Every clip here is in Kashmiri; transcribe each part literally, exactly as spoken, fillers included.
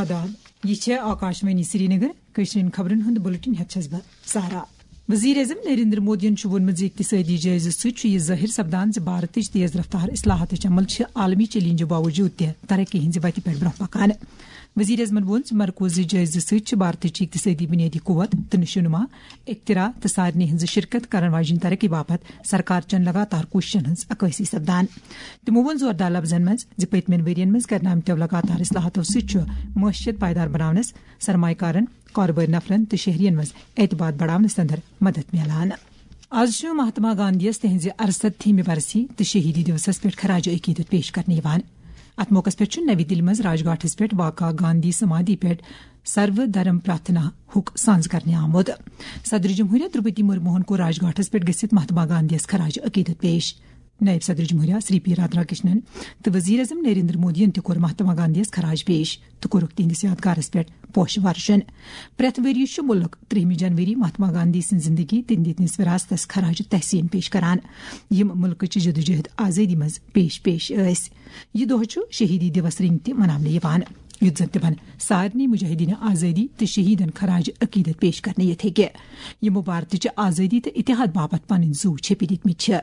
آداب، یہِ چھےٚ آکاشوانی سرینگر۔ کٲشرٮ۪ن خبرن ہُنٛد بُلٹن ہٮ۪تھ چھَس بہٕ سہرا۔ وزیر اعظم نریندر مودیَن چھُ ووٚنمُت زِ اقتصٲدی جٲیزٕ سۭتۍ چھُ یہِ ظٲہِر سپدان زِ بھارتٕچ تیز رفتار اصلاحاتٕچ عمل چھِ عالمی چیلنجو باوجود تہِ ترقی ہٕنٛزِ وتہِ پٮ۪ٹھ برٛونٛہہ پکان۔ وزیر اعظمَن ووٚن زِ مرکوزٕچ جٲیزٕ سۭتۍ چھِ بھارتٕچ اقتصٲدی بُنیٲدی قوت تہٕ نشوونما، اختراع تہٕ سارنٕے ہٕنٛز شرکت کرن واجٮ۪ن ترقی باپتھ سرکار چٮ۪ن لگاتار کوٗششن ہٕنٛز عکٲسی سپدان۔ تِمو ووٚن زوردار لفظن منٛز زِ پٔتمٮ۪ن ؤرین منٛز کرنہٕ آمتیو لگاتار اصلاحاتو سۭتۍ چھُ معیشت پائیدار بناونس، سرمایہ کارن، کاربٲرۍ نفرن تہٕ شہرین منٛز اعتماد بڑاونس اندر مدد میلان۔ آز چھُ مہاتما گاندھی یس تہنٛزِ ارستتھیمہِ برسی تہٕ شہیدی دیوسس پٮ۪ٹھ خراج عقیدت پیش کرنہٕ یِوان۔ اتھ موقعس پٮ۪ٹھ چھُ نوی دِلہِ منٛز راج گھاٹس پٮ۪ٹھ واقع گاندھی سمادھی پٮ۪ٹھ سرو دھرم پرارتھنا ہُک سانز کرنہٕ آمُت۔ صدر جمہوریہ درپتی مرموہن کوٚر راج گھاٹس پٮ۪ٹھ گٔژھِتھ مہاتما گاندھی یس خراج عقیدت پیش۔ نائب صدر جمہوریہ سری پی رادھا کرشنن تہٕ وزیر اعظم نریندر مودیَن تہِ کوٚر مہاتما گاندھی یس خراج پیش تہٕ کوٚرُکھ تِہنٛدِس یادگارس پٮ۪ٹھ پوشہٕ ورشن۔ پرٛٮ۪تھ ؤرۍ یہِ چھُ مُلک ترٛہمہِ جنوری مہاتما گاندھی سٕنٛز زندگی تہٕ دِتنِس وراثتس خراج تحسین پیش کران، یِم مُلکٕچہِ جدوجہد آزٲدی منٛز پیش پیش ٲسۍ۔ یہِ دۄہ چھُ شہیدی دیوس رٔنگۍ تہِ مناونہٕ یِوان، یُتھ زن تِمن سارنٕے مجاہدین آزٲدی تہٕ شہیدن خراج عقیدت پیش کرنہٕ یِتھ ہیٚکہِ۔ یِمو بھارتٕچہِ آزٲدی تہٕ اتحاد باپتھ پنٕنۍ زُو چھیٚپہِ دِتمٕتۍ چھِ۔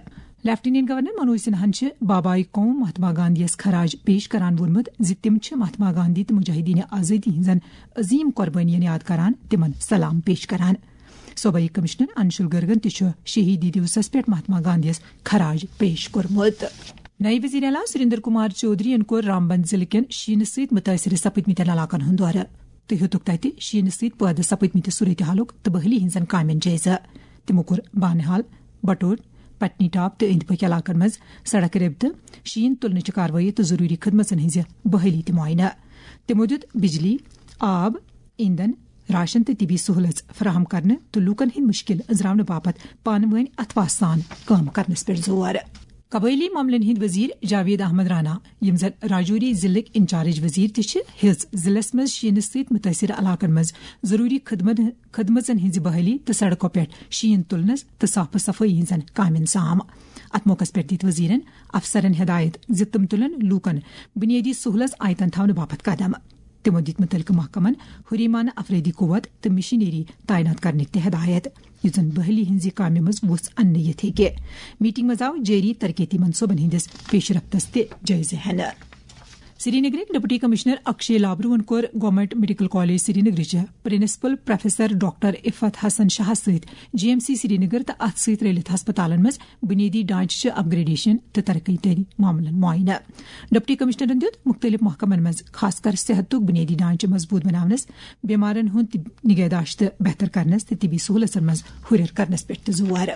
لیفٹیننٹ گورنر منوج سنہاہن چھِ بابائے قوم مہاتما گاندھی یس خراج پیش کران ووٚنمُت زِ تِم چھِ مہاتما گاندھی تہٕ مجاہدین آزٲدی ہٕنٛزن عظیم قربٲنین یاد کران، تِمن سلام پیش کران۔ صوبائی کمشنر انشول گرگن تہِ چھُ شہیدی دیوسس پٮ۪ٹھ مہاتما گاندھی یس خراج پیش کوٚرمُت۔ نائب وزیر اعلیٰ سریندر کمار چودھرین کوٚر رامبند ضلعہٕ کٮ۪ن شیٖنہٕ سۭتۍ مُتٲثر سپٕدمٕتٮ۪ن علاقن ہُنٛد دورٕ تہٕ ہیوٚتُکھ تَتہِ شیٖنہٕ سۭتۍ پٲدٕ سپٕدمٕتہِ صورتحالُک تہٕ بحالی ہٕنٛزن کامٮ۪ن جٲیزٕ۔ تِمو کوٚر بانہال، بٹور، پٹنی ٹاپ تہٕ أنٛدۍ پٔکۍ علاقن منٛز سڑک رٲبطہٕ، شیٖن تُلنٕچہِ کاروٲیی تہٕ ضروٗری خدمژن ہٕنٛزِ بحالی تہِ معائنہٕ۔ تِمو دیُت بجلی، آب، ایندھن، راشن تہٕ طبی سہولژ فراہم کرنہٕ تہٕ لوٗکن ہٕنٛدۍ مُشکِل أنٛزراونہٕ باپتھ پانہٕ وٲنۍ اتھواسہٕ سان کٲم کرنس پٮ۪ٹھ زور۔ قبٲئلی معاملن ہٕنٛدۍ وزیر جاوید احمد رانا، یِم زن راجوری ضلعٕکۍ انچارج وزیر تہِ چھِ، ہیٚژ ضلعس منٛز شیٖنہٕ سۭتۍ مُتٲثر علاقن منٛز ضروٗری خدمت، خدمژن ہٕنٛزِ بحالی تہٕ سڑکو پٮ۪ٹھ شیٖن تُلنس تہٕ صاف صفٲیی ہٕنٛزن کامٮ۪ن سام۔ اتھ موقعس پٮ۪ٹھ دِتۍ وزیرن افسرن ہدایت زِ تِم تُلن لوٗکن بُنیٲدی سہولژ آیتن تھاونہٕ باپتھ قدم۔ تِمو دِتۍ مُتعلقہٕ محکمن ہُریمانہٕ افرٲدی قوت تہٕ مشینری تعینات کرنٕکۍ تہِ ہدایت، یُتھ زن بحالی ہٕنٛزِ کامہِ منٛز وُژھ اننہٕ یِتھ ہیٚکہِ۔ میٹنگ منٛز آو جٲری ترقیتی منصوبن ہٕنٛدِس پیش رفتس تہِ جٲیزٕ ہٮ۪نہٕ۔ سرینگرٕکۍ ڈپٹی کمشنر اکشے لابروہن کوٚر گورنمنٹ میڈیکل کالج سرینگرٕچہِ principal professor doctor Iffat Hassan شاہس سۭتۍ جی ایم سی سرینگر تہٕ اتھ سۭتۍ رلِتھ ہسپتالن منٛز بُنیٲدی ڈھانچہٕ چہِ اپگریڈیشن تہٕ ترقی تٲری معاملن معائنہٕ۔ ڈپٹی کمشنرن دیُت مُختٔلِف محکمن منٛز خاص کر صحتُک بُنیٲدی ڈھانچہٕ مضبوٗط بناونس، بیمارن ہُنٛد طب-، نگہداشت بہتر کرنس تہٕ طبی سہولژن منٛز ہُرٮ۪ر کرنس پٮ۪ٹھ تہِ زور۔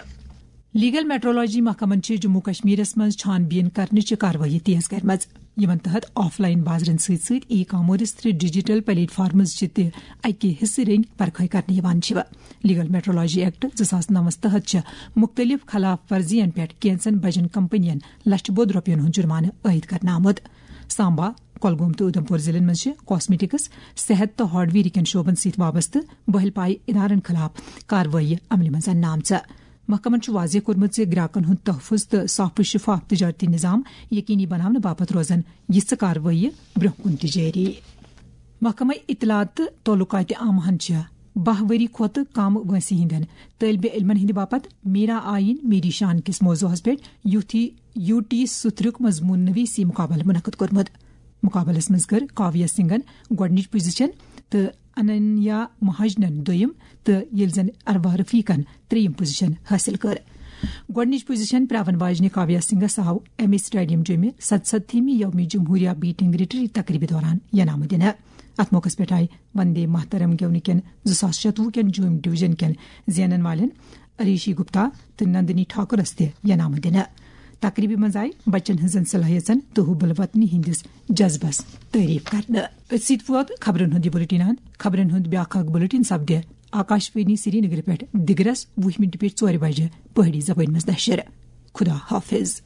لیگل میٹرولوجی محکمن چھِ جموں کشمیرس منٛز چھان بین کرنٕچہِ کاروٲیی تیز کرمٕژ، یِمن تحت آف لائن بازرن سۭتۍ سۭتۍ ای کامرس تہٕ ڈیجیٹل پلیٹ فارمز چہِ تہِ اکہِ حصہٕ رٔنگۍ پرکھٲے کرنہٕ یِوان چھِ۔ لیگل میٹرولوجی ایکٹ زٕ ساس نَوَس تحت چھِ مُختٔلِف خلاف ورزین پٮ۪ٹھ کینژن بجن کمپنین لچھٕ بوٚد رۄپین ہُنٛد جُرمانہٕ عائد کرنہٕ آمُت۔ سامبا، کۄلگوم تہٕ اُدھمپور ضلعن منٛز چھِ کاسمیٹکس، صحت تہٕ ہارڈویئر کٮ۪ن شعبن سۭتۍ وابستہٕ بٔہلۍ پایہِ ادارن خلاف کاروٲیی عملہِ منٛز اننہٕ آمژٕ۔ محکمن چھُ واضح کوٚرمُت زِ گراکن ہُنٛد تحفظ تہٕ صاف و شفاف تجارتی نظام یقینی بناونہٕ باپتھ روزن یِژھٕ کاروٲیی برٛونٛہہ کُن تہِ جٲری۔ محکمہ اطلاعات تہٕ تعلقات عامہن چھِ باہ ؤری کھۄتہٕ کم وٲنٛسہِ ہٕنٛدٮ۪ن طٲلبہِ علمن ہٕنٛدِ باپتھ میرا آئین میری شان کِس موضوعس پٮ۪ٹھ یوٗتھی، یوٗ ٹی سترُک مضموٗن نویسی مُقابلہٕ منعقد کوٚرمُت۔ مُقابلس منٛز کٔر کاویہ سنگھن گۄڈٕنِچ پوزیشن تہٕ اننیا مہاجنن دوٚیِم تہٕ ییٚلہِ زن اروا رفیقن ترٛیٚیِم پوزیشن حٲصِل کٔر۔ گۄڈٕنِچ پوزیشن پراون واجنہِ کاویہ سنگھس آو ایم اے سٹیڈیم جوٚمہِ ستستھیمہِ یومِ جمہوریہ بیٹنگ ریٹری تقریبہِ دوران ینامہٕ دِنہٕ۔ اتھ موقعس پٮ۪ٹھ آیہِ وندے ماترم گٮ۪ونہٕ کٮ۪ن زٕ ساس شتوُہ کٮ۪ن جوٚم ڈویژن کٮ۪ن زینن والٮ۪ن اریشی گپتا تہٕ نندنی ٹھاکرس تہِ ینامہٕ دِنہٕ۔ تقریبہِ منٛز آیہِ بچن ہٕنٛزن صلٲحیژن تہٕ حب الوطنی ہٕنٛدِس جذبس تعریف کرنہٕ۔ أتھۍ سۭتۍ ووت خبرن ہُنٛد یہِ بُلٹن اند۔ خبرن ہُنٛد بیٛاکھ اکھ بُلٹن سپدِ آکاشوانی سرینگرٕ پٮ۪ٹھ دِگرس وُہ مِنٹہِ پٮ۪ٹھ ژورِ بجہِ پہٲڑی زبٲنۍ منٛز نشر۔ خدا حافظ۔